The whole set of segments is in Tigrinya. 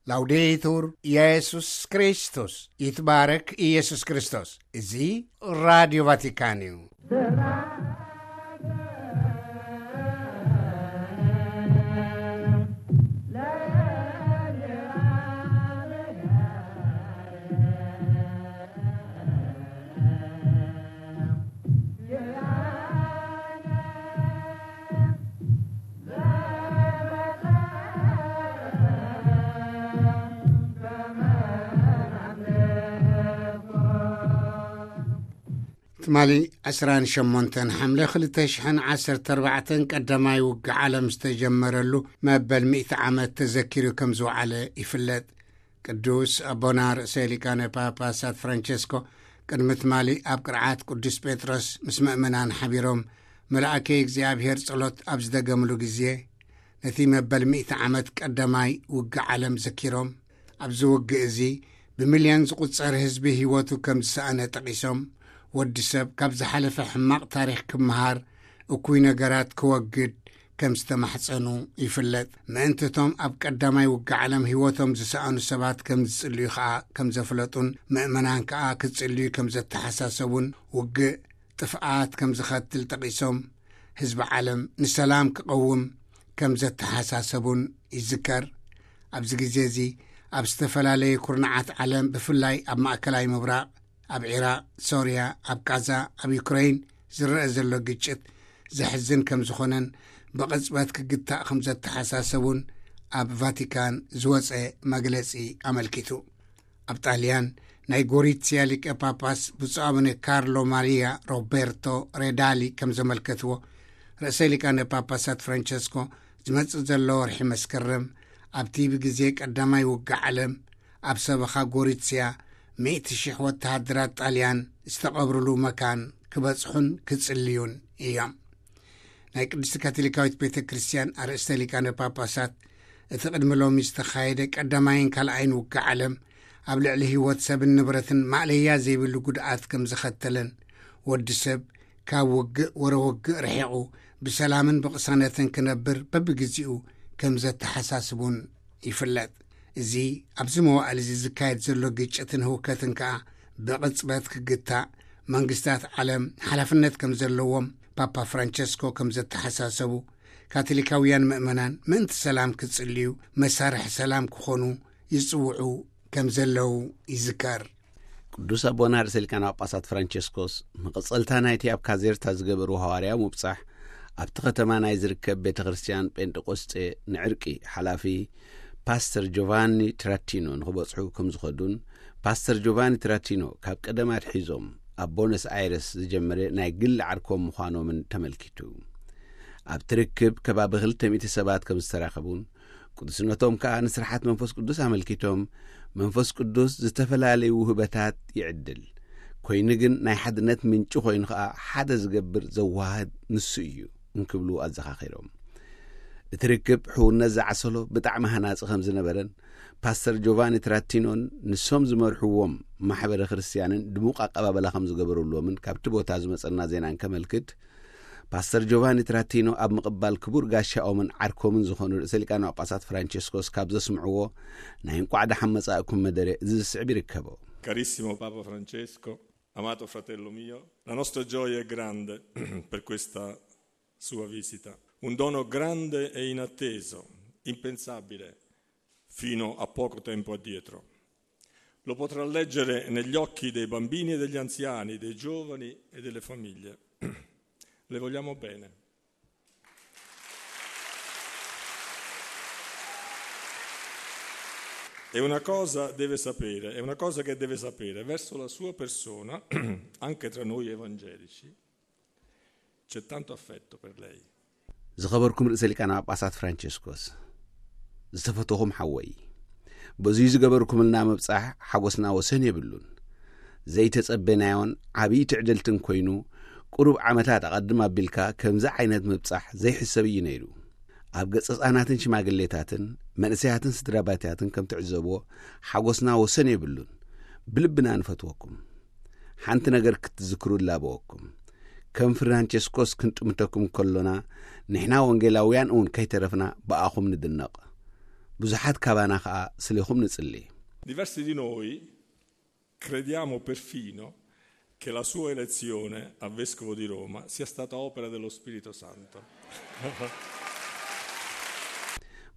ላውዴቱር ኢየሱስ ክርስቶስ፣ ይትባረክ ኢየሱስ ክርስቶስ። እዚ ራዲዮ ቫቲካን እዩ። ትማሊ ዕስራን ሸሞንተን ሓምለ ክልተ ሽሕን ዓሰርተ ኣርባዕተን ቀዳማይ ውግእ ዓለም ዝተጀመረሉ መበል ሚእቲ ዓመት ተዘኪሩ ከም ዝወዓለ ይፍለጥ። ቅዱስ ኣቦና ርእሰ ሊቃነ ጳጳሳት ፍራንቸስኮ ቅድሚ ትማሊ ኣብ ቅርዓት ቅዱስ ጴጥሮስ ምስ ምእመናን ሓቢሮም፣ መልኣከ እግዚኣብሔር ጸሎት ኣብ ዝደገምሉ ግዜ፣ ነቲ መበል ሚእቲ ዓመት ቀዳማይ ውግእ ዓለም ዘኪሮም፣ ኣብዚ ውግእ እዚ ብሚልዮን ዝቑጸር ህዝቢ ህይወቱ ከም ዝሰኣነ ጠቒሶም፣ ወዲ ሰብ ካብ ዝሓለፈ ሕማቕ ታሪኽ ክመሃር፣ እኩይ ነገራት ክወግድ ከም ዝተማሕጸኑ ይፍለጥ። ምእንትቶም ኣብ ቀዳማይ ውግእ ዓለም ህይወቶም ዝሰኣኑ ሰባት ከም ዝጽልዩ ከኣ ከም ዘፍለጡን፣ ምእመናን ከኣ ክጽልዩ ከም ዘተሓሳሰቡን፣ ውግእ ጥፍኣት ከም ዝኸትል ጠቒሶም፣ ህዝቢ ዓለም ንሰላም ክቐውም ከም ዘተሓሳሰቡን ይዝከር። ኣብዚ ግዜ እዚ ኣብ ዝተፈላለየ ኩርናዓት ዓለም፣ ብፍላይ ኣብ ማእከላይ ምብራቕ፣ ኣብ ዒራቕ፣ ሶርያ፣ ኣብ ቃዛ፣ ኣብ ዩክረይን ዝረአ ዘሎ ግጭት ዘሕዝን ከም ዝኾነን ብቕጽበት ክግታእ ከም ዘተሓሳሰቡን ኣብ ቫቲካን ዝወጸ መግለጺ ኣመልኪቱ። ኣብ ጣልያን ናይ ጎሪትስያ ሊቀ ጳጳስ ብፁዕ ኣቡነ ካርሎ ማሪያ ሮቤርቶ ሬዳሊ ከም ዘመልከትዎ፣ ርእሰ ሊቃነ ጳጳሳት ፍራንቸስኮ ዝመጽእ ዘሎ ወርሒ መስከረም ኣብቲ ብግዜ ቀዳማይ ውግእ ዓለም ኣብ ሰበኻ ጎሪትስያ ሚእቲ ሽሕ ወተሃደራት ጣልያን ዝተቐብርሉ መካን ክበጽሑን ክጽልዩን እዮም። ናይ ቅድስቲ ካቶሊካዊት ቤተ ክርስቲያን ኣርእስተ ሊቃነ ጳጳሳት እቲ ቅድሚ ሎሚ ዝተኻየደ ቀዳማይን ካልኣይን ውግእ ዓለም ኣብ ልዕሊ ህይወት ሰብን ንብረትን ማእለያ ዘይብሉ ጉድኣት ከም ዘኸተለን፣ ወዲ ሰብ ካብ ውግእ ወረ ውግእ ርሒቑ ብሰላምን ብቕሳነትን ክነብር በብግዜኡ ከም ዘተሓሳስቡን ይፍለጥ። እዚ ኣብዚ መዋእል እዚ ዝካየድ ዘሎ ግጭትን ህውከትን ከኣ ብቕጽበት ክግታእ መንግስታት ዓለም ሓላፍነት ከም ዘለዎም ፓፓ ፍራንቸስኮ ከም ዘተሓሳሰቡ፣ ካቶሊካውያን ምእመናን ምእንቲ ሰላም ክጽልዩ፣ መሳርሒ ሰላም ክኾኑ ይጽውዑ ከም ዘለዉ ይዝከር። ቅዱስ ኣቦና ርእሰ ሊቃነ ጳጳሳት ፍራንቸስኮስ፣ መቐጸልታ ናይቲ ኣብ ካዜርታ ዝገበርዎ ሃዋርያዊ ምብጻሕ፣ ኣብቲ ከተማ ናይ ዝርከብ ቤተ ክርስቲያን ጴንጠቆስጤ ንዕርቂ ሓላፊ ፓስተር ጆቫኒ ትራቲኖ ንኽበጽሑ ከም ዝኸዱን፣ ፓስተር ጆቫኒ ትራቲኖ ካብ ቀደም ኣትሒዞም ኣብ ቦነስ ኣይረስ ዝጀመረ ናይ ግሊ ዓርኮም ምዃኖምን ተመልኪቱ። ኣብቲ ርክብ ከባቢ ክልተ ሚእቲ ሰባት ከም ዝተራኸቡን፣ ቅዱስነቶም ከኣ ንስርሓት መንፈስ ቅዱስ ኣመልኪቶም፣ መንፈስ ቅዱስ ዝተፈላለዩ ውህበታት ይዕድል፣ ኮይኑ ግን ናይ ሓድነት ምንጪ ኮይኑ ከኣ ሓደ ዝገብር ዘዋህድ ንሱ እዩ እንክብሉ ኣዘኻኺሮም። እቲ ርክብ ሕውነት ዝዓሰሎ ብጣዕሚ ሃናጺ ከም ዝነበረን፣ ፓስተር ጆቫኒ ትራቲኖን ንሶም ዝመርሕዎም ማሕበረ ክርስቲያንን ድሙቕ ኣቀባበላ ከም ዝገበሩሎምን ካብቲ ቦታ ዝመጸና ዜና እንከመልክት፣ ፓስተር ጆቫኒ ትራቲኖ ኣብ ምቕባል ክቡር ጋሻኦምን ዓርኮምን ዝኾኑ ርእሰ ሊቃነ ጳጳሳት ፍራንቸስኮስ ካብ ዘስምዕዎ ናይ እንቋዕ ደሓን መጻእኩም መደረ እዚ ዝስዕብ ይርከቦ። Carissimo Papa Francesco, amato fratello mio, la nostra gioia è grande per questa sua visita. Un dono grande e inatteso, impensabile fino a poco tempo addietro. Lo potrà leggere negli occhi dei bambini e degli anziani, dei giovani e delle famiglie. Le vogliamo bene. È una cosa deve sapere, è una cosa che deve sapere, verso la sua persona, anche tra noi evangelici, c'è tanto affetto per lei. ዝኸበርኩም ርእሰ ሊቃነ ጳጳሳት ፍራንቸስኮስ፣ ዝተፈተኹም ሓወይ፣ በዙይ ዝገበርኩምልና ምብጻሕ ሓጎስና ወሰን የብሉን። ዘይተጸበናዮን ዓብዪ ትዕድልትን ኮይኑ፣ ቁሩብ ዓመታት ኣቐድም ኣቢልካ ከምዚ ዓይነት ምብጻሕ ዘይሕሰብ እዩ ነይሩ። ኣብ ገጸ ህጻናትን ሽማግሌታትን መንእሰያትን ስድራ ቤታትን ከም ትዕዘብዎ፣ ሓጎስና ወሰን የብሉን። ብልብና ንፈትወኩም። ሓንቲ ነገር ክትዝክሩ እላበወኩም። ከም ፍራንቸስኮስ ክንጥምተኩም ከሎና፣ ንሕና ወንጌላውያን እውን ከይተረፍና ብኣኹም ንድነቕ። ብዙሓት ካባና ከኣ ስሌኹም ንጽሊ። Diversi di noi crediamo perfino che la sua elezione a vescovo di Roma sia stata opera dello Spirito Santo.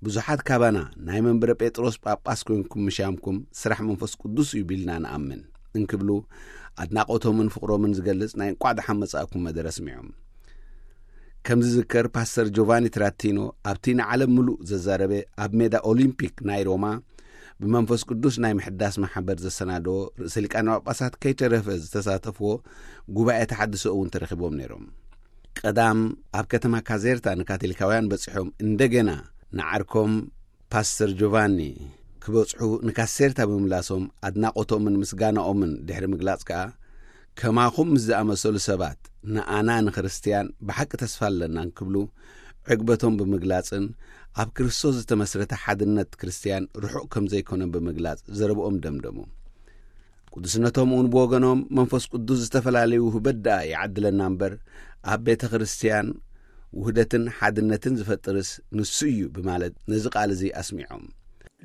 ብዙሓት ካባና ናይ መንበረ ጴጥሮስ ጳጳስ ኮይንኩም ምሻምኩም ስራሕ መንፈስ ቅዱስ እዩ ቢልና ንኣምን እንክብሉ ኣድናቖቶምን ፍቕሮምን ዝገልጽ ናይ እንቋዕ ደሓን መጻእኩም መደረ ስሚዖም። ከም ዝዝከር ፓስተር ጆቫኒ ትራቲኖ ኣብቲ ንዓለም ምሉእ ዘዛረበ ኣብ ሜዳ ኦሊምፒክ ናይ ሮማ ብመንፈስ ቅዱስ ናይ ምሕዳስ ማሕበር ዘሰናደዎ ርእሰ ሊቃነ ጳጳሳት ከይተረፈ ዝተሳተፍዎ ጉባኤ ተሓድሶ እውን ተረኺቦም ነይሮም። ቀዳም ኣብ ከተማ ካዜርታ ንካቶሊካውያን በጺሖም እንደገና ንዓርኮም ፓስተር ጆቫኒ ክበጽሑ ንካሴርታ ብምምላሶም ኣድናቖቶምን ምስጋናኦምን ድሕሪ ምግላጽ ከኣ ከማኹም ምስ ዝኣመሰሉ ሰባት ንኣና ንክርስትያን ብሓቂ ተስፋ ኣለና እንክብሉ ዕግበቶም ብምግላጽን ኣብ ክርስቶስ ዝተመስረተ ሓድነት ክርስትያን ርሑቕ ከም ዘይኮነ ብምግላጽ ዘረብኦም ደምደሙ። ቅዱስነቶም እውን ብወገኖም መንፈስ ቅዱስ ዝተፈላለዩ ውህበት ደኣ ይዓድለና እምበር ኣብ ቤተ ክርስትያን ውህደትን ሓድነትን ዝፈጥርስ ንሱ እዩ ብማለት ነዚ ቃል እዚ ኣስሚዖም።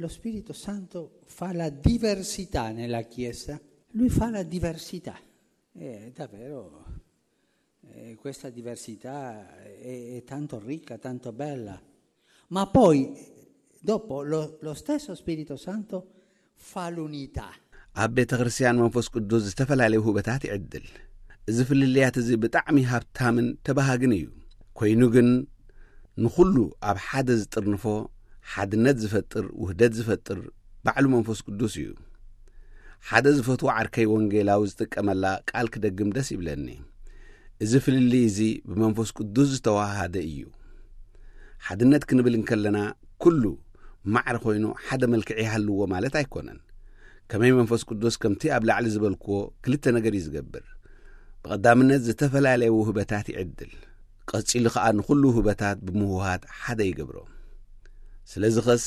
Lo Spirito Santo fa la diversità nella Chiesa, lui fa la diversità. E davvero eh, questa diversità è, è tanto ricca, tanto bella. Ma poi, dopo, lo, lo stesso Spirito Santo fa l'unità. ኣብ ቤተ ክርስትያን መንፈስ ቅዱስ ዝተፈላለዩ ውህበታት ይዕድል። እዚ ፍልልያት እዚ ብጣዕሚ ሃብታምን ተባሃግን እዩ። ኮይኑ ግን ንኹሉ ኣብ ሓደ ዝጥርንፎ ሓድነት ዝፈጥር ውህደት ዝፈጥር ባዕሉ መንፈስ ቅዱስ እዩ። ሓደ ዝፈትዎ ዓርከይ ወንጌላዊ ዝጥቀመላ ቃል ክደግም ደስ ይብለኒ። እዚ ፍልልይ እዚ ብመንፈስ ቅዱስ ዝተዋሃደ እዩ። ሓድነት ክንብል እንከለና ኩሉ ማዕረ ኮይኑ ሓደ መልክዕ ይሃልዎ ማለት ኣይኮነን። ከመይ መንፈስ ቅዱስ ከምቲ ኣብ ላዕሊ ዝበልክዎ ክልተ ነገር እዩ ዝገብር። ብቐዳምነት ዝተፈላለየ ውህበታት ይዕድል። ቀጺሉ ከኣ ንኹሉ ውህበታት ብምውሃድ ሓደ ይገብሮ። ስለዚ ኸስ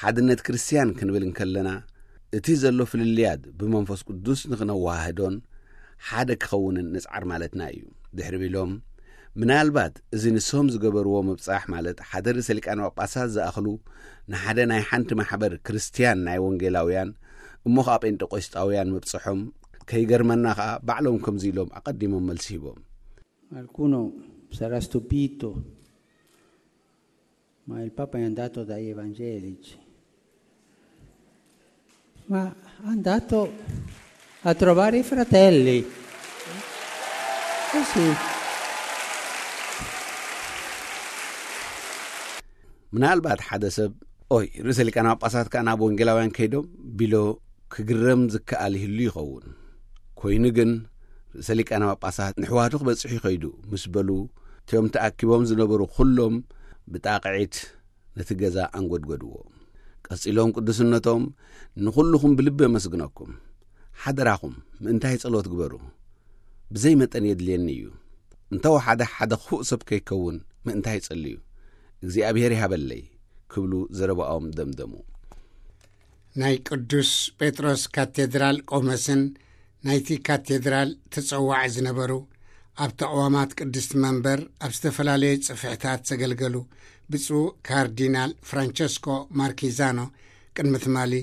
ሓድነት ክርስትያን ክንብል እንከለና እቲ ዘሎ ፍልልያት ብመንፈስ ቅዱስ ንኽነዋህዶን ሓደ ክኸውንን ንጽዓር ማለትና እዩ ድሕሪ ቢሎም ምናልባት እዚ ንሶም ዝገበርዎ ምብጻሕ ማለት ሓደ ርእሰ ሊቃነ ጳጳሳት ዝኣኽሉ ንሓደ ናይ ሓንቲ ማሕበር ክርስትያን ናይ ወንጌላውያን እሞ ኸዓ ጴንጠቆስጣውያን ምብጽሖም ከይገርመና ኸዓ ባዕሎም ከምዚ ኢሎም ኣቐዲሞም መልሲ ሂቦም። Qualcuno sarà stupito, ma il Papa è andato dai evangelici. Ma è andato a trovare i fratelli. Eh sì. ምናልባት ሓደ ሰብ ኦይ ርእሰ ሊቃነ ጳጳሳት ከኣ ናብ ወንጌላውያን ከይዶም ቢሎ ክግረም ዝከኣል ይህሉ ይኸውን። ኮይኑ ግን ርእሰ ሊቃነ ጳጳሳት ንሕዋቱ ክበጽሕ ይኸይዱ ምስ በሉ እቲኦም ተኣኪቦም ዝነበሩ ኩሎም ብጣቕዒት ነቲ ገዛ ኣንጎድጎድዎ። ቀጺሎም ቅዱስነቶም ንኹልኹም ብልቢ የመስግነኩም። ሓደራኹም ምእንታይ ጸሎት ግበሩ። ብዘይ መጠን የድልየኒ እዩ። እንተወሓደ ሓደ ክፉእ ሰብ ከይከውን ምእንታይ ጸልዩ። እግዚኣብሔር ይሃበለይ ክብሉ ዘረባኦም ደምደሙ። ናይ ቅዱስ ጴጥሮስ ካቴድራል ቆመስን ናይቲ ካቴድራል ተጸዋዒ ዝነበሩ ኣብ ተቕዋማት ቅድስቲ መንበር ኣብ ዝተፈላለዩ ጽፍሕታት ዘገልገሉ ብፁዕ ካርዲናል ፍራንቸስኮ ማርኪዛኖ ቅድሚ ትማሊ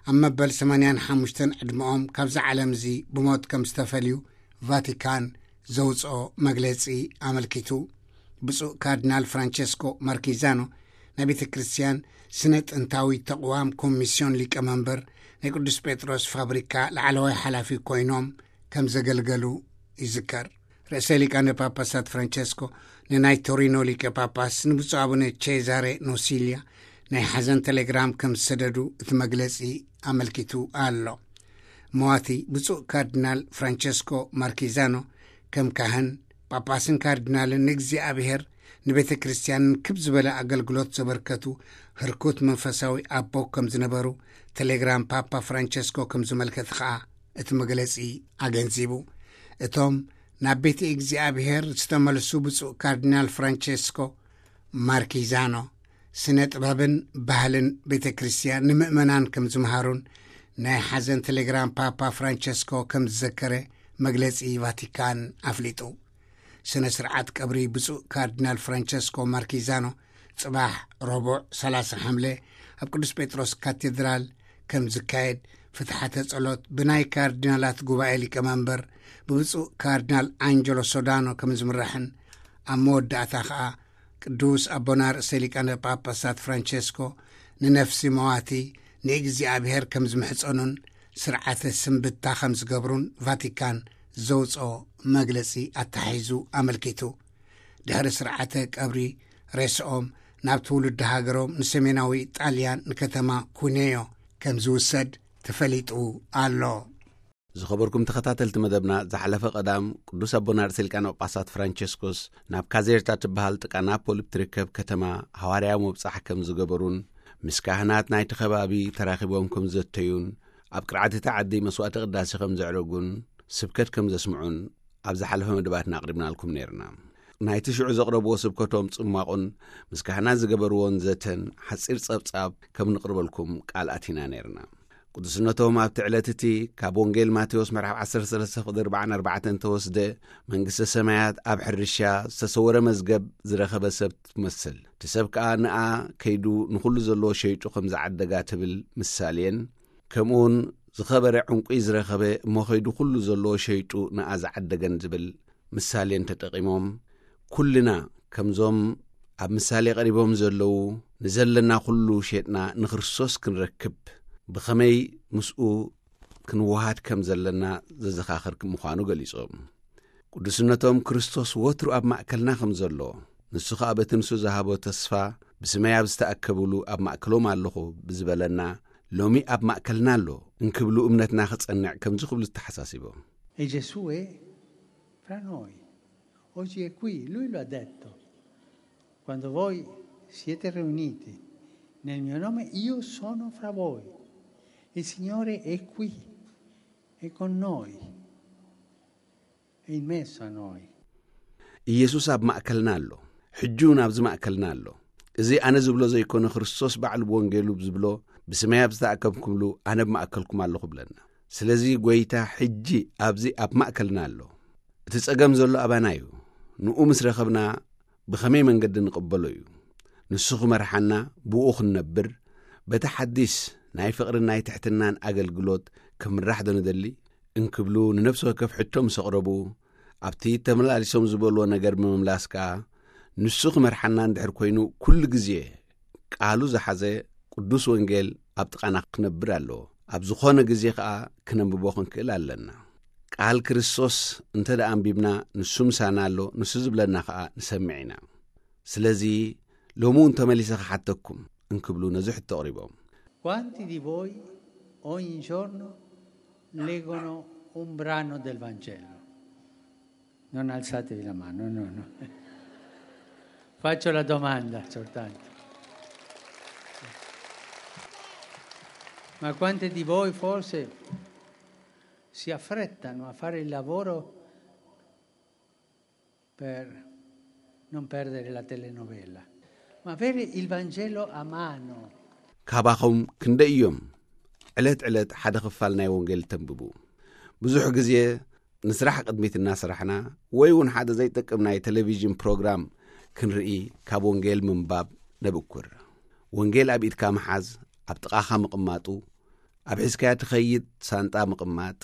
ኣብ መበል ሰማንያን ሓሙሽተን ዕድመኦም ካብዚ ዓለም እዚ ብሞት ከም ዝተፈልዩ ቫቲካን ዘውፅኦ መግለፂ ኣመልኪቱ ብፁዕ ካርዲናል ፍራንቸስኮ ማርኪዛኖ ናይ ቤተ ክርስቲያን ስነ ጥንታዊ ተቕዋም ኮሚስዮን ሊቀመንበር ናይ ቅዱስ ጴጥሮስ ፋብሪካ ላዕለዋይ ሓላፊ ኮይኖም ከም ዘገልገሉ ይዝከር። ርእሰ ሊቃነ ጳጳሳት ፍራንቸስኮ ንናይ ቶሪኖ ሊቀ ጳጳስ ንብፁዕ ኣቡነ ቼዛሬ ኖሲልያ ናይ ሓዘን ቴሌግራም ከም ዝሰደዱ እቲ መግለጺ ኣመልኪቱ ኣሎ። መዋቲ ብፁዕ ካርዲናል ፍራንቸስኮ ማርኪዛኖ ከም ካህን ጳጳስን ካርዲናልን ንእግዚኣብሔር ንቤተ ክርስቲያንን ክብ ዝበለ ኣገልግሎት ዘበርከቱ ህርኩት መንፈሳዊ ኣቦ ከም ዝነበሩ ቴሌግራም ፓፓ ፍራንቸስኮ ከም ዝመልከት ኸኣ እቲ መግለጺ ኣገንዚቡ። እቶም ናብ ቤተ እግዚኣብሔር ዝተመልሱ ብፁዕ ካርዲናል ፍራንቸስኮ ማርኪዛኖ ስነ ጥበብን ባህልን ቤተ ክርስቲያን ንምእመናን ከም ዝምሃሩን ናይ ሓዘን ቴሌግራም ፓፓ ፍራንቸስኮ ከም ዝዘከረ መግለጺ ቫቲካን ኣፍሊጡ። ስነ ስርዓት ቀብሪ ብፁዕ ካርዲናል ፍራንቸስኮ ማርኪዛኖ ጽባሕ ረቡዕ ሰላሳ ሓምለ ኣብ ቅዱስ ጴጥሮስ ካቴድራል ከም ዝካየድ፣ ፍትሓተ ጸሎት ብናይ ካርዲናላት ጉባኤ ሊቀመንበር ብብፁዕ ካርዲናል ኣንጀሎ ሶዳኖ ከም ዝምራሕን፣ ኣብ መወዳእታ ኸኣ ቅዱስ ኣቦና ርእሰ ሊቃነ ጳጳሳት ፍራንቸስኮ ንነፍሲ መዋቲ ንእግዚኣብሔር ከም ዝምሕጸኑን ስርዓተ ስንብታ ከም ዝገብሩን ቫቲካን ዘውፅኦ መግለጺ ኣተሓሒዙ ኣመልኪቱ። ድሕሪ ስርዓተ ቀብሪ ሬስኦም ናብ ትውልዲ ሃገሮም ንሰሜናዊ ጣልያን ንከተማ ኩኔዮ ከም ዝውሰድ ተፈሊጡ ኣሎ። ዝኸበርኩም ተኸታተልቲ መደብና፣ ዝሓለፈ ቀዳም ቅዱስ ኣቦና ርእሰ ሊቃነ ጳጳሳት ፍራንቸስኮስ ናብ ካዜርታ ትበሃል ጥቃ ናፖሊ እትርከብ ከተማ ሃዋርያዊ መብጻሕ ከም ዝገበሩን ምስ ካህናት ናይቲ ከባቢ ተራኺቦም ከም ዘተዩን ኣብ ቅርዓት እታ ዓዲ መስዋዕተ ቅዳሴ ከም ዘዕረጉን ስብከት ከም ዘስምዑን ኣብ ዝሓለፈ መደባትና ኣቕሪብናልኩም ነይርና። ናይቲ ሽዑ ዘቕረብዎ ስብከቶም ጽማቑን ምስ ካህናት ዝገበርዎን ዘተን ሓጺር ጸብጻብ ከም ንቕርበልኩም ቃል ኣቲና ነይርና። ቅዱስነቶም ኣብቲ ዕለት እቲ ካብ ወንጌል ማቴዎስ ምዕራፍ ዓሰርተ ሰለስተ ፍቕዲ ኣርባዓን ኣርባዕተን ተወስደ፣ መንግስተ ሰማያት ኣብ ሕርሻ ዝተሰወረ መዝገብ ዝረኸበ ሰብ ትመስል። እቲ ሰብ ከኣ ንኣ ከይዱ ንኹሉ ዘለዎ ሸይጡ ከም ዝዓደጋ ትብል ምሳሌን፣ ከምኡውን ዝኸበረ ዕንቁይ ዝረኸበ እሞ ከይዱ ኩሉ ዘለዎ ሸይጡ ንኣ ዝዓደገን ዝብል ምሳሌን ተጠቒሞም፣ ኩልና ከምዞም ኣብ ምሳሌ ቀሪቦም ዘለዉ ንዘለና ኩሉ ሸጥና ንክርስቶስ ክንረክብ ብኸመይ ምስኡ ክንወሃድ ከም ዘለና ዘዘኻኽር ምዃኑ ገሊጾም። ቅዱስነቶም ክርስቶስ ወትሩ ኣብ ማእከልና ከም ዘሎ፣ ንሱ ኸኣ በቲ ንሱ ዝሃቦ ተስፋ ብስመይ ኣብ ዝተኣከብሉ ኣብ ማእከሎም ኣለኹ ብዝበለና፣ ሎሚ ኣብ ማእከልና ኣሎ እንክብሉ እምነትና ክጸንዕ ከምዚ ክብሉ ተሓሳሲቦም። E Gesù è fra noi. Oggi è qui, lui lo ha detto. Quando voi siete riuniti nel mio nome, io sono fra voi. Il Signore è qui, è con noi, è in mezzo a noi. ኢየሱስ ኣብ ማእከልና ኣሎ። ሕጂ እውን ኣብዚ ማእከልና ኣሎ። እዚ ኣነ ዝብሎ ዘይኮነ፣ ክርስቶስ ባዕሉ ብወንጌሉ ዝብሎ፣ ብስመይ ኣብ ዝተኣከብኩምሉ ኣነ ኣብ ማእከልኩም ኣለኹ ብለና። ስለዚ ጎይታ ሕጂ ኣብዚ ኣብ ማእከልና ኣሎ። እቲ ጸገም ዘሎ ኣባና እዩ። ንኡ ምስ ረኸብና ብኸመይ መንገዲ ንቕበሎ እዩ። ንሱ ክመርሓና፣ ብኡ ክንነብር፣ በቲ ሓዲስ ናይ ፍቕርን ናይ ትሕትናን ኣገልግሎት ክምራሕ ዶ ንደሊ? እንክብሉ ንነፍሲ ወከፍ ሕቶ ምስ ኣቕረቡ፣ ኣብቲ ተመላሊሶም ዝበልዎ ነገር ብምምላስ ከኣ፣ ንሱ ክመርሓና እንድሕር ኮይኑ፣ ኩሉ ግዜ ቃሉ ዝሓዘ ቅዱስ ወንጌል ኣብ ጥቓና ክነብር ኣለዎ። ኣብ ዝኾነ ግዜ ከኣ ክነንብቦ ክንክእል ኣለና። ቃል ክርስቶስ እንተ ደኣ ኣንቢብና፣ ንሱ ምሳና ኣሎ፣ ንሱ ዝብለና ከኣ ንሰምዕ ኢና። ስለዚ ሎሚ እውን ተመሊሰ ክሓተኩም እንክብሉ ነዚ ሕቶ ኣቕሪቦም። Quanti di voi ogni giorno leggono un brano del Vangelo? Non alzatevi la mano, no, no. Faccio la domanda soltanto. Ma quanti di voi forse si affrettano a fare il lavoro per non perdere la telenovela, ma avere il Vangelo a mano? ካባኹም ክንደይ እዮም ዕለት ዕለት ሓደ ክፋል ናይ ወንጌል ተንብቡ? ብዙሕ ግዜ ንስራሕ ቅድሚት እናሰራሕና ወይ እውን ሓደ ዘይጠቅም ናይ ቴሌቪዥን ፕሮግራም ክንርኢ ካብ ወንጌል ምንባብ ነብኩር። ወንጌል ኣብ ኢድካ ምሓዝ፣ ኣብ ጥቓኻ ምቕማጡ፣ ኣብ ሒዝካያ ትኸይድ ሳንጣ ምቕማጥ፣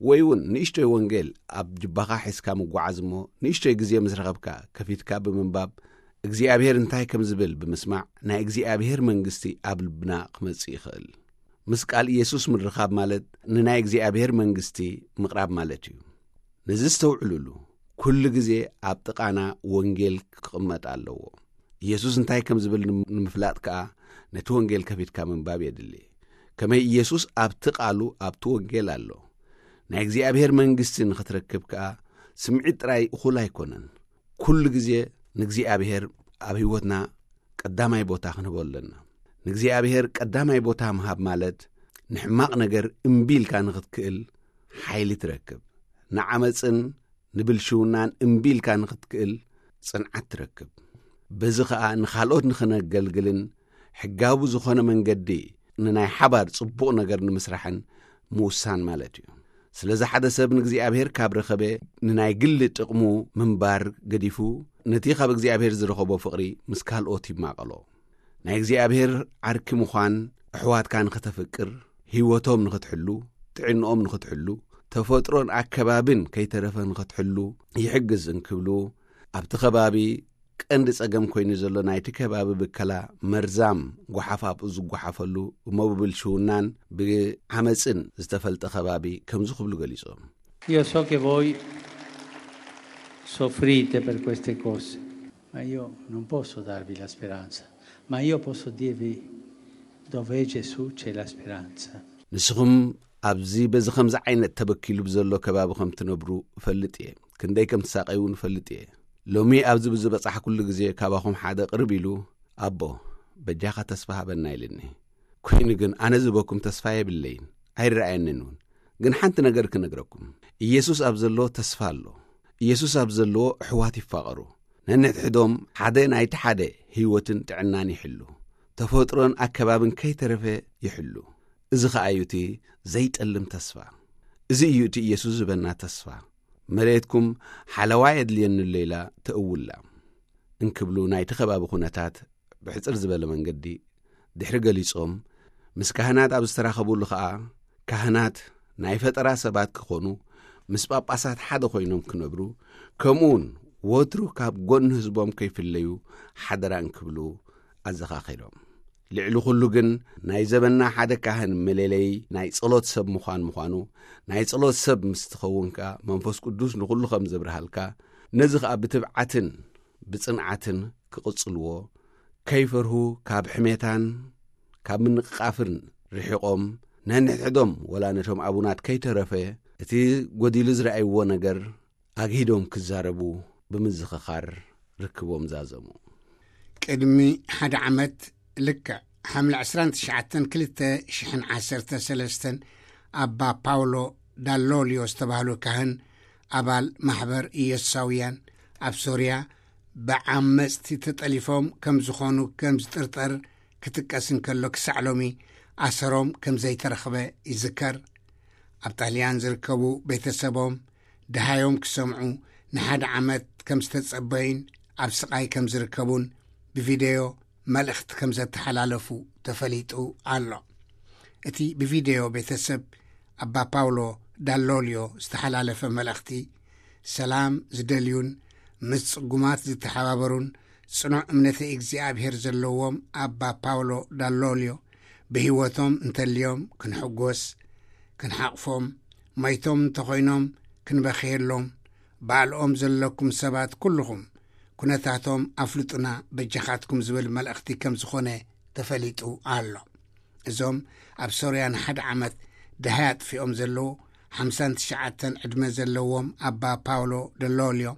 ወይ እውን ንእሽቶይ ወንጌል ኣብ ጅባኻ ሒዝካ ምጓዓዝ እሞ ንእሽቶይ ግዜ ምስ ረኸብካ ከፊትካ ብምንባብ እግዚኣብሔር እንታይ ከም ዝብል ብምስማዕ ናይ እግዚኣብሔር መንግስቲ ኣብ ልብና ክመጽእ ይኽእል። ምስ ቃል ኢየሱስ ምርኻብ ማለት ንናይ እግዚኣብሔር መንግስቲ ምቕራብ ማለት እዩ። ነዚ ዝተውዕሉሉ፣ ኩሉ ግዜ ኣብ ጥቓና ወንጌል ክቕመጥ ኣለዎ። ኢየሱስ እንታይ ከም ዝብል ንም-፣ ንምፍላጥ ከኣ ነቲ ወንጌል ከፊትካ ምንባብ የድሊ። ከመይ ኢየሱስ ኣብቲ ቃሉ ኣብቲ ወንጌል ኣሎ። ናይ እግዚኣብሔር መንግስቲ ንኽትረክብ ከኣ ስምዒት ጥራይ እኹል ኣይኮነን። ኩሉ ግዜ ንእግዚኣብሔር ኣብ ህይወትና ቀዳማይ ቦታ ክንህቦ ኣለና። ንእግዚኣብሔር ቀዳማይ ቦታ ምሃብ ማለት ንሕማቕ ነገር እምቢ ኢልካ ንኽትክእል ሓይሊ ትረክብ። ንዓመጽን ንብልሽውናን እምቢ ኢልካ ንኽትክእል ጽንዓት ትረክብ። በዚ ኸኣ ንኻልኦት ንኽነገልግልን ሕጋዊ ዝኾነ መንገዲ ንናይ ሓባር ጽቡቕ ነገር ንምስራሕን ምውሳን ማለት እዩ። ስለዚ ሓደ ሰብ ንእግዚኣብሔር ካብ ረኸበ ንናይ ግሊ ጥቕሙ ምንባር ገዲፉ ነቲ ካብ እግዚኣብሔር ዝረኸቦ ፍቕሪ ምስ ካልኦት ይማቐሎ። ናይ እግዚኣብሔር ዓርኪ ምዃን፣ ኣሕዋትካ ንኽተፍቅር፣ ህይወቶም ንኽትሕሉ፣ ጥዕንኦም ንኽትሕሉ፣ ተፈጥሮን ኣከባብን ከይተረፈ ንኽትሕሉ ይሕግዝ እንክብሉ፣ ኣብቲ ከባቢ ቀንዲ ጸገም ኮይኑ ዘሎ ናይቲ ከባቢ ብከላ መርዛም ጓሓፍ ኣብኡ ዝጓሓፈሉ፣ እሞ ብብልሽውናን ብዓመጽን ዝተፈልጠ ከባቢ ከምዚ ክብሉ ገሊጾም። Io so che voi soffrite per queste cose, ma io non posso darvi la speranza, ma io posso dirvi dove Gesù c'è la speranza. ንስኹም ኣብዚ በዚ ከምዚ ዓይነት ተበኪሉ ብዘሎ ከባቢ ከም ትነብሩ እፈልጥ እየ። ክንደይ ከም ትሳቀዩ እውን እፈልጥ እየ። ሎሚ ኣብዚ ብዝበጻሕኩሉ ግዜ ካባኹም ሓደ ቅርብ ኢሉ፣ "ኣቦ፣ በጃኻ ተስፋ ሃበና" ኢልኒ። ኮይኑ ግን ኣነ ዝበኩም ተስፋ የብለይን፣ ኣይረኣየንን እውን። ግን ሓንቲ ነገር ክነግረኩም፣ ኢየሱስ ኣብ ዘለዎ ተስፋ ኣሎ። ኢየሱስ ኣብ ዘለዎ ኣሕዋት ይፋቐሩ። ነንሕድሕዶም ሓደ ናይቲ ሓደ ህይወትን ጥዕናን ይሕሉ። ተፈጥሮን ኣከባብን ከይተረፈ ይሕሉ። እዚ ኸኣ እዩ እቲ ዘይጠልም ተስፋ። እዚ እዩ እቲ ኢየሱስ ዝበና ተስፋ። መሬትኩም ሓለዋ የድልየኒ ኣሎ ኢላ ተእውላ እንክብሉ ናይቲ ከባቢ ኩነታት ብሕጽር ዝበለ መንገዲ ድሕሪ ገሊጾም፣ ምስ ካህናት ኣብ ዝተራኸቡሉ ኸኣ፣ ካህናት ናይ ፈጠራ ሰባት ክኾኑ፣ ምስ ጳጳሳት ሓደ ኮይኖም ክነብሩ፣ ከምኡውን ወትሩ ካብ ጎኒ ህዝቦም ከይፍለዩ ሓደራ እንክብሉ ኣዘኻኺሮም። ልዕሊ ኩሉ ግን ናይ ዘበና ሓደ ካህን መለለዪ ናይ ጸሎት ሰብ ምዃን ምዃኑ፣ ናይ ጸሎት ሰብ ምስ ትኸውን ከኣ መንፈስ ቅዱስ ንኹሉ ከም ዘብርሃልካ፣ ነዚ ኸኣ ብትብዓትን ብጽንዓትን ክቕጽልዎ፣ ከይፈርሁ፣ ካብ ሕሜታን ካብ ምንቕቓፍን ርሒቖም፣ ነንሕድሕዶም ወላ ነቶም ኣቡናት ከይተረፈ እቲ ጎዲሉ ዝረኣይዎ ነገር ኣግሂዶም ክዛረቡ ብምዝኽኻር ርክቦም ዛዘሙ። ቅድሚ ሓደ ዓመት፣ ልክዕ ሓምለ ዕስራን ትሽዓተን ክልተ ሽሕን ዓሰርተ ሰለስተን፣ ኣባ ፓውሎ ዳሎልዮ ዝተባህሉ ካህን፣ ኣባል ማሕበር ኢየሱሳውያን ኣብ ሶርያ፣ ብዓመጽቲ ተጠሊፎም ከም ዝኾኑ ከም ዝጥርጠር ክጥቀስ እንከሎ፣ ክሳዕ ሎሚ ኣሰሮም ከም ዘይተረኽበ ይዝከር። ኣብ ጣልያን ዝርከቡ ቤተሰቦም፣ ደሃዮም ክሰምዑ ንሓደ ዓመት ከም ዝተጸበዩን ኣብ ስቓይ ከም ዝርከቡን ብቪደዮ መልእኽቲ ከም ዘተሓላለፉ ተፈሊጡ ኣሎ። እቲ ብቪደዮ ቤተሰብ ኣባ ፓውሎ ዳሎልዮ ዝተሓላለፈ መልእኽቲ፣ ሰላም ዝደልዩን ምስ ጽጉማት ዝተሓባበሩን ጽኑዕ እምነተ እግዚኣብሔር ዘለዎም ኣባ ፓውሎ ዳሎልዮ ብህይወቶም እንተልዮም ክንሕጎስ፣ ክንሓቕፎም፣ መይቶም እንተኾይኖም ክንበኽየሎም፣ ባልኦም ዘለኩም ሰባት ኩልኹም ኩነታቶም ኣፍልጡና በጃኻትኩም ዝብል መልእኽቲ ከም ዝኾነ ተፈሊጡ ኣሎ። እዞም ኣብ ሶርያ ንሓደ ዓመት ደሃይ ኣጥፊኦም ዘለዉ ሓምሳን ትሽዓተን ዕድመ ዘለዎም ኣባ ፓውሎ ደሎልዮ፣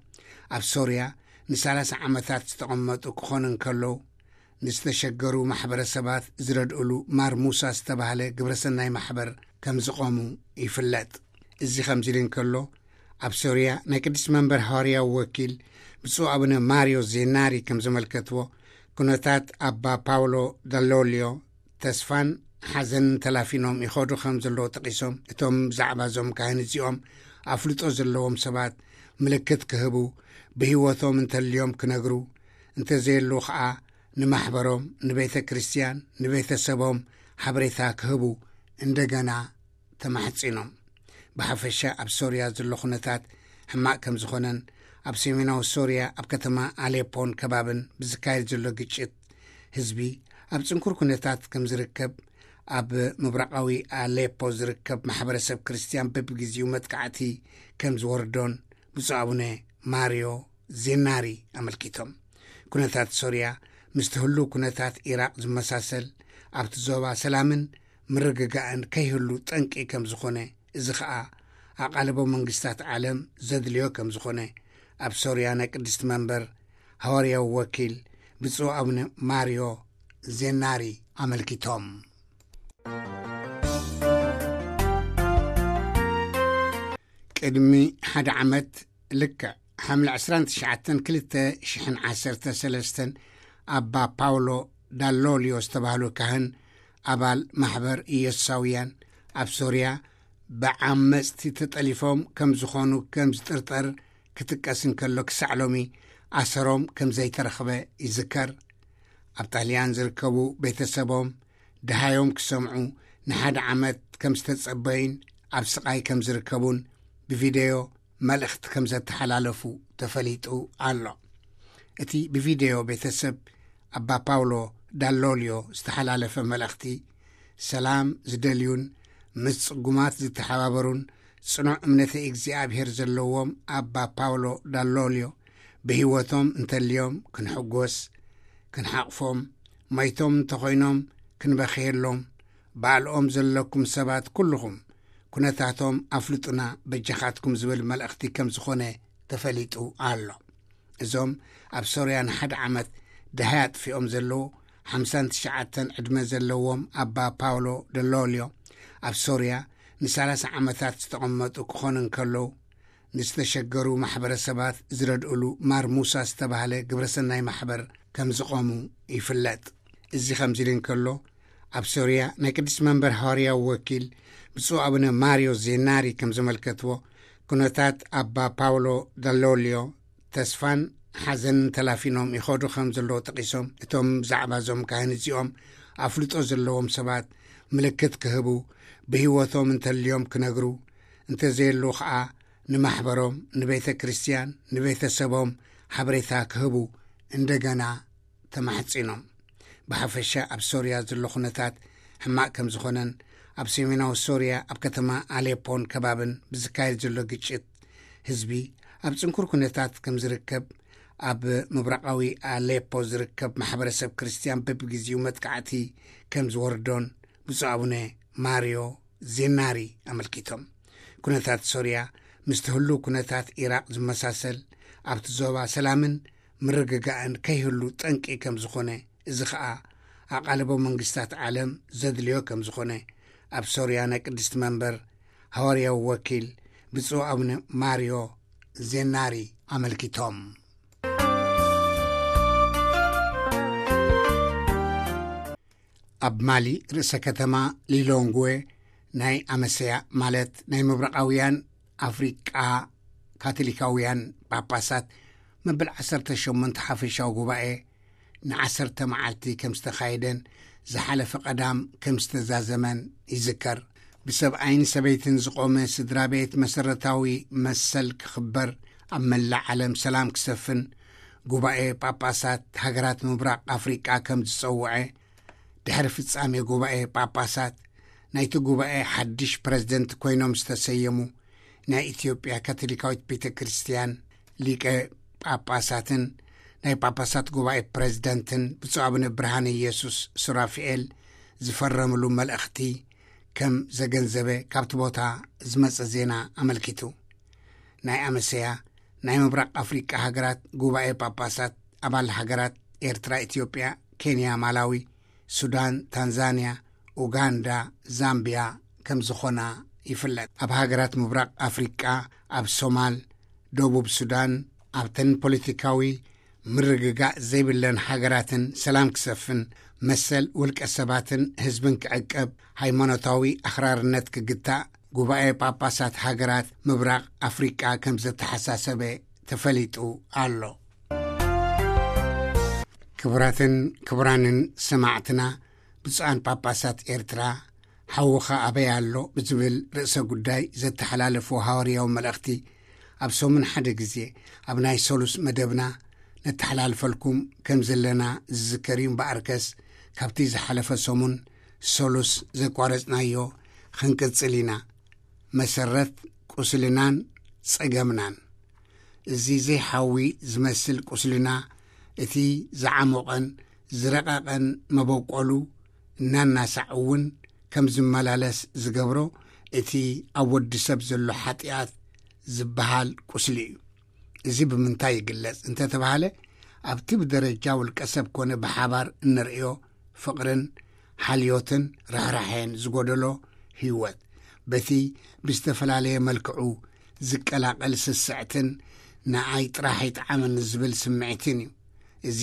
ኣብ ሶርያ ንሰላሳ ዓመታት ዝተቐመጡ ክኾኑ እንከለዉ፣ ንዝተሸገሩ ማሕበረሰባት ዝረድእሉ ማር ሙሳ ዝተባህለ ግብረሰናይ ማሕበር ከም ዝቖሙ ይፍለጥ። እዚ ከምዚ ኢሉ እንከሎ፣ ኣብ ሶርያ ናይ ቅድስቲ መንበር ሃዋርያዊ ወኪል ብፁዕ ኣቡነ ማርዮ ዜናሪ ከም ዘመልከትዎ፣ ኩነታት ኣባ ፓውሎ ዳሎልዮ ተስፋን ሓዘንን ተላፊኖም ይኸዱ ከም ዘለዉ ጠቒሶም፣ እቶም ብዛዕባ እዞም ካህን እዚኦም ኣፍልጦ ዘለዎም ሰባት ምልክት ክህቡ፣ ብህይወቶም እንተልዮም ክነግሩ፣ እንተዘየሉ ኸኣ ንማሕበሮም፣ ንቤተ ክርስቲያን፣ ንቤተሰቦም ሓበሬታ ክህቡ እንደገና ተማሕጺኖም። ብሓፈሻ ኣብ ሶርያ ዘሎ ኩነታት ሕማቕ ከም ዝኾነን፣ ኣብ ሰሜናዊ ሶርያ ኣብ ከተማ ኣሌፖን ከባብን ብዝካየድ ዘሎ ግጭት፣ ህዝቢ ኣብ ጽንኩር ኩነታት ከም ዝርከብ፣ ኣብ ምብራቓዊ ኣሌፖ ዝርከብ ማሕበረሰብ ክርስቲያን በብግዜኡ መጥቃዕቲ ከም ዝወርዶን ብፁዕ ኣቡነ ማርዮ ዜናሪ ኣመልኪቶም። ኩነታት ሶርያ ምስቲ ህሉው ኩነታት ኢራቕ ዝመሳሰል፣ ኣብቲ ዞባ ሰላምን ምርግጋእን ከይህሉ ጠንቂ ከም ዝኾነ፣ እዚ ኸኣ ኣቓልቦ መንግስታት ዓለም ዘድልዮ ከም ዝኾነ፣ ኣብ ሶርያ ናይ ቅድስቲ መንበር ሃዋርያዊ ወኪል ብፁዕ ኣቡነ ማርዮ ዜናሪ ኣመልኪቶም። ቅድሚ ሓደ ዓመት፣ ልክዕ ሓምለ ዕስራን ትሽዓተን ክልተ ሽሕን ዓሰርተ ሰለስተን፣ ኣባ ፓውሎ ዳሎልዮ ዝተባህሉ ካህን፣ ኣባል ማሕበር ኢየሱሳውያን፣ ኣብ ሶርያ ብዓመጽቲ ተጠሊፎም ከም ዝኾኑ ከም ዝጥርጠር ክጥቀስ እንከሎ፣ ክሳዕ ሎሚ ኣሰሮም ከም ዘይተረኽበ ይዝከር። ኣብ ጣልያን ዝርከቡ ቤተሰቦም ድሃዮም ክሰምዑ ንሓደ ዓመት ከም ዝተጸበዩን ኣብ ስቓይ ከም ዝርከቡን ብቪደዮ መልእኽቲ ከም ዘተሓላለፉ ተፈሊጡ ኣሎ። እቲ ብቪደዮ ቤተሰብ ኣባ ፓውሎ ዳሎልዮ ዝተሓላለፈ መልእኽቲ፣ ሰላም ዝደልዩን ምስ ጽጉማት ዝተሓባበሩን ጽኑዕ እምነተ እግዚኣብሔር ዘለዎም ኣባ ፓውሎ ዳሎልዮ ብህይወቶም እንተልዮም ክንሕጎስ፣ ክንሓቕፎም፣ መይቶም እንተኾይኖም ክንበኽየሎም፣ ባዕልኦም ዘለኩም ሰባት ኩልኹም ኩነታቶም ኣፍልጡና በጃኻትኩም ዝብል መልእኽቲ ከም ዝኾነ ተፈሊጡ ኣሎ። እዞም ኣብ ሶርያ ንሓደ ዓመት ደሃይ ኣጥፊኦም ዘለዉ ሓምሳን ትሽዓተን ዕድመ ዘለዎም ኣባ ፓውሎ ደሎልዮ፣ ኣብ ሶርያ ንሰላሳ ዓመታት ዝተቐመጡ ክኾኑ እንከለዉ፣ ንዝተሸገሩ ማሕበረሰባት ዝረድእሉ ማር ሙሳ ዝተባህለ ግብረሰናይ ማሕበር ከም ዝቖሙ ይፍለጥ። እዚ ከምዚ ኢሉ እንከሎ፣ ኣብ ሶርያ ናይ ቅድስቲ መንበር ሃዋርያዊ ወኪል ብፁዕ ኣቡነ ማርዮ ዜናሪ ከም ዘመልከትዎ፣ ኩነታት ኣባ ፓውሎ ዳሎልዮ ተስፋን ሓዘንን ተላፊኖም ይኸዱ ከም ዘለዉ ጠቒሶም፣ እቶም ብዛዕባ እዞም ካህን እዚኦም ኣፍልጦ ዘለዎም ሰባት ምልክት ክህቡ፣ ብህይወቶም እንተልዮም ክነግሩ፣ እንተዘየሉ ኸኣ ንማሕበሮም፣ ንቤተ ክርስቲያን፣ ንቤተሰቦም ሓበሬታ ክህቡ እንደገና ተማሕጺኖም። ብሓፈሻ ኣብ ሶርያ ዘሎ ኩነታት ሕማቕ ከም ዝኾነን፣ ኣብ ሰሜናዊ ሶርያ ኣብ ከተማ ኣሌፖን ከባብን ብዝካየድ ዘሎ ግጭት ህዝቢ ኣብ ጽንኩር ኩነታት ከም ዝርከብ፣ ኣብ ምብራቓዊ ኣሌፖ ዝርከብ ማሕበረሰብ ክርስቲያን በብግዜኡ መጥቃዕቲ ከም ዝወርዶን ብፁዕ ኣቡነ ማርዮ ዜናሪ ኣመልኪቶም። ኩነታት ሶርያ ምስቲ ህሉው ኩነታት ኢራቕ ዝመሳሰል፣ ኣብቲ ዞባ ሰላምን ምርግጋእን ከይህሉ ጠንቂ ከም ዝኾነ፣ እዚ ኸኣ ኣቓልቦ መንግስታት ዓለም ዘድልዮ ከም ዝኾነ፣ ኣብ ሶርያ ናይ ቅድስቲ መንበር ሃዋርያዊ ወኪል ብፁዕ ኣቡነ ማርዮ ዜናሪ ኣመልኪቶም። ኣብ ማሊ ርእሰ ከተማ ሊሎንግዌ ናይ ኣመሰያ፣ ማለት ናይ ምብራቓውያን ኣፍሪቃ ካቶሊካውያን ጳጳሳት፣ መበል ዓሰርተ ሸሞንተ ሓፈሻዊ ጉባኤ ንዓሰርተ መዓልቲ ከም ዝተኻየደን ዝሓለፈ ቀዳም ከም ዝተዛዘመን ይዝከር። ብሰብኣይን ሰበይትን ዝቖመ ስድራ ቤት መሰረታዊ መሰል ክኽበር፣ ኣብ መላእ ዓለም ሰላም ክሰፍን ጉባኤ ጳጳሳት ሃገራት ምብራቕ ኣፍሪቃ ከም ዝጸውዐ፣ ድሕሪ ፍጻሜ ጉባኤ ጳጳሳት ናይቲ ጉባኤ ሓድሽ ፕረዚደንት ኮይኖም ዝተሰየሙ ናይ ኢትዮጵያ ካቶሊካዊት ቤተ ክርስቲያን ሊቀ ጳጳሳትን ናይ ጳጳሳት ጉባኤ ፕረዚደንትን ብፁዕ ኣቡነ ብርሃነ ኢየሱስ ሱራፊኤል ዝፈረምሉ መልእኽቲ ከም ዘገንዘበ ካብቲ ቦታ ዝመጸ ዜና ኣመልኪቱ። ናይ ኣመሰያ ናይ ምብራቕ ኣፍሪቃ ሃገራት ጉባኤ ጳጳሳት ኣባል ሃገራት ኤርትራ፣ ኢትዮጵያ፣ ኬንያ፣ ማላዊ፣ ሱዳን፣ ታንዛንያ፣ ኡጋንዳ፣ ዛምቢያ ከም ዝኾና ይፍለጥ። ኣብ ሃገራት ምብራቕ ኣፍሪቃ፣ ኣብ ሶማል፣ ደቡብ ሱዳን፣ ኣብተን ፖለቲካዊ ምርግጋእ ዘይብለን ሃገራትን ሰላም ክሰፍን፣ መሰል ውልቀ ሰባትን ህዝብን ክዕቀብ፣ ሃይማኖታዊ ኣኽራርነት ክግታእ፣ ጉባኤ ጳጳሳት ሃገራት ምብራቕ ኣፍሪቃ ከም ዘተሓሳሰበ ተፈሊጡ ኣሎ። ክቡራትን ክቡራንን ሰማዕትና፣ ብፁዓን ጳጳሳት ኤርትራ፣ ሓውኻ ኣበይ ኣሎ ብዝብል ርእሰ ጉዳይ ዘተሓላለፍዎ ሃዋርያዊ መልእኽቲ፣ ኣብ ሰሙን ሓደ ግዜ ኣብ ናይ ሰሉስ መደብና ነተሓላልፈልኩም ከም ዘለና ዝዝከር እዩ። እምበኣርከስ፣ ካብቲ ዝሓለፈ ሰሙን ሰሉስ ዘቋረጽናዮ ክንቅጽል ኢና። መሰረት ቁስልናን ጸገምናን። እዚ ዘይሓዊ ዝመስል ቁስልና፣ እቲ ዝዓሞቐን ዝረቐቐን መበቆሉ እናናሳዕ እውን ከም ዝመላለስ ዝገብሮ፣ እቲ ኣብ ወዲ ሰብ ዘሎ ሓጢኣት ዝበሃል ቁስሊ እዩ። እዚ ብምንታይ ይግለጽ እንተተባሃለ፣ ኣብቲ ብደረጃ ውልቀ ሰብ ኮነ ብሓባር እንርእዮ ፍቕርን ሓልዮትን ርሕራሐን ዝጎደሎ ህይወት፣ በቲ ብዝተፈላለየ መልክዑ ዝቀላቐል ስስዕትን ንኣይ ጥራሕ ይጥዓመኒ ዝብል ስምዒትን እዩ። እዚ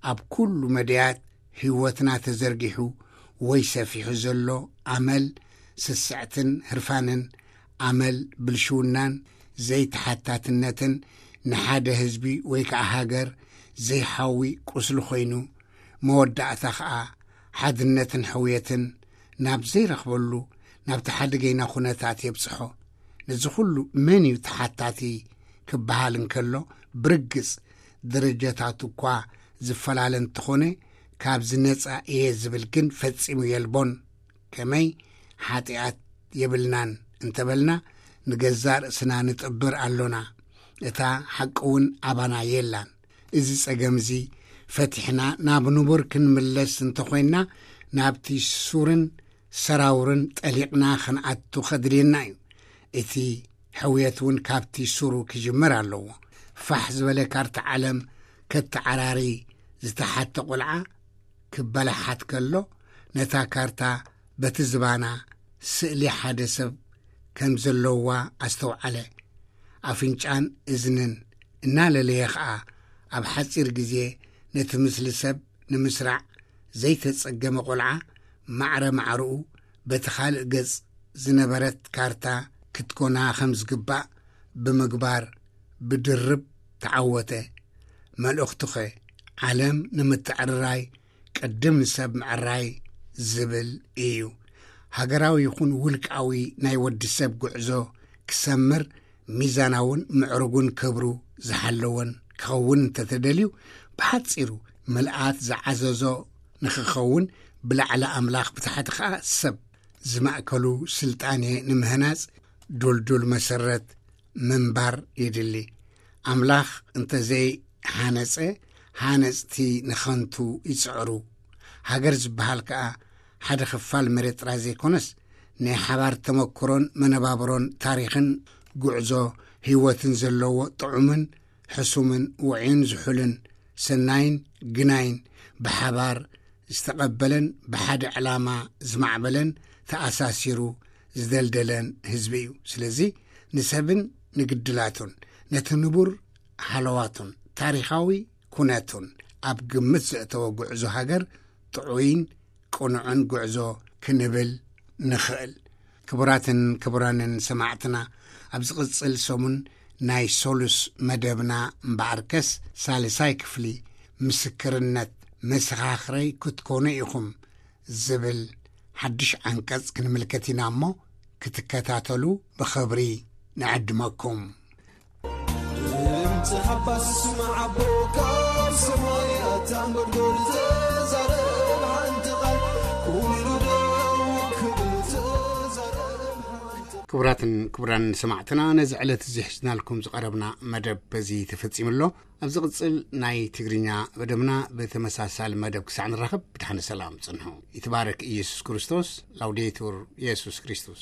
ኣብ ኩሉ መድያት ህይወትና ተዘርጊሑ ወይ ሰፊሑ ዘሎ ኣመል ስስዕትን ህርፋንን፣ ኣመል ብልሽውናን ዘይተሓታትነትን፣ ንሓደ ህዝቢ ወይ ከዓ ሃገር ዘይሓዊ ቁስሊ ኮይኑ፣ መወዳእታ ኸኣ ሓድነትን ሕውየትን ናብ ዘይረኽበሉ ናብቲ ሓደገይና ኩነታት የብጽሖ። ነዚ ኩሉ መን እዩ ተሓታቲ ክበሃል እንከሎ፣ ብርግጽ ደረጃታት እኳ ዝፈላለ እንተኾነ፣ ካብዚ ነጻ እየ ዝብል ግን ፈጺሙ የልቦን። ከመይ ሓጢኣት የብልናን እንተበልና፣ ንገዛእ ርእስና ንጥብር ኣሎና። እታ ሓቂ እውን ኣባና የላን። እዚ ጸገም እዚ ፈቲሕና ናብ ንቡር ክንምለስ እንተኾይንና፣ ናብቲ ሱርን ሰራውርን ጠሊቕና ክንኣቱ ከድልየና እዩ። እቲ ሕውየት እውን ካብቲ ሱሩ ክጅመር ኣለዎ። ፋሕ ዝበለ ካርታ ዓለም ከተዓራሪ ዝተሓተ ቆልዓ ክበላሓት ከሎ፣ ነታ ካርታ በቲ ዝባና ስእሊ ሓደ ሰብ ከም ዘለዋ ኣስተውዓለ። ኣፍንጫን እዝንን እናለለየ ኸኣ፣ ኣብ ሓጺር ግዜ ነቲ ምስሊ ሰብ ንምስራዕ ዘይተጸገመ ቆልዓ፣ ማዕረ ማዕረኡ በቲ ካልእ ገጽ ዝነበረት ካርታ ክትኮና ከም ዝግባእ ብምግባር፣ ብድርብ ተዓወተ። መልእኽቱኸ፣ ዓለም ንምትዕርራይ ቅድም ንሰብ ምዕራይ ዝብል እዩ። ሃገራዊ ይኹን ውልቃዊ ናይ ወዲ ሰብ ጉዕዞ ክሰምር፣ ሚዛናውን ምዕሩግን ክብሩ ዝሓለወን ክኸውን እንተተደልዩ፣ ብሓጺሩ ምልኣት ዝዓዘዞ ንኽኸውን፣ ብላዕሊ ኣምላኽ፣ ብታሕቲ ኸኣ ሰብ ዝማእከሉ ስልጣኔ ንምህናጽ ድልዱል መሰረት ምንባር የድሊ። ኣምላኽ እንተዘይሃነጸ፣ ሃነጽቲ ንኸንቱ ይጽዕሩ። ሃገር ዝበሃል ከኣ ሓደ ክፋል መሬት ጥራይ ዘይኮነስ፣ ናይ ሓባር ተመክሮን መነባብሮን ታሪኽን ጉዕዞ ህይወትን ዘለዎ ጥዑምን ሕሱምን ውዑይን ዝሑልን ሰናይን ግናይን ብሓባር ዝተቐበለን ብሓደ ዕላማ ዝማዕበለን ተኣሳሲሩ ዝደልደለን ህዝቢ እዩ። ስለዚ ንሰብን ንግድላቱን ነቲ ንቡር ሃለዋቱን ታሪኻዊ ኩነቱን ኣብ ግምት ዘእተወ ጉዕዞ ሃገር ጥዑይን ቅኑዕን ጉዕዞ ክንብል ንኽእል። ክቡራትን ክቡራንን ሰማዕትና፣ ኣብ ዝቕጽል ሰሙን ናይ ሶሉስ መደብና እምበኣርከስ ሳልሳይ ክፍሊ ምስክርነት መሰኻኽረይ ክትኮኑ ኢኹም ዝብል ሓድሽ ዓንቀጽ ክንምልከት ኢና እሞ፣ ክትከታተሉ ብኽብሪ ንዕድመኩም። ድምፂ ሓባስ ስማዕ ኣቦ ካብ ሰማይ ኣታ እንጎድጎድ ተዛረብ ሓንቲ ቃል ኩሉ ደው ክብል ተዛረብ ሓንቲ ቃል። ክቡራትን ክቡራን ሰማዕትና፣ ነዚ ዕለት እዚ ሒዝናልኩም ዝቐረብና መደብ በዚ ተፈጺሙ ኣሎ። ኣብ ዝቕጽል ናይ ትግርኛ መደብና ብተመሳሳሊ መደብ ክሳዕ ንራኸብ ብድሓነ ሰላም ጽንሑ። ይትባረክ ኢየሱስ ክርስቶስ። ላውዴቱር ኢየሱስ ክርስቶስ።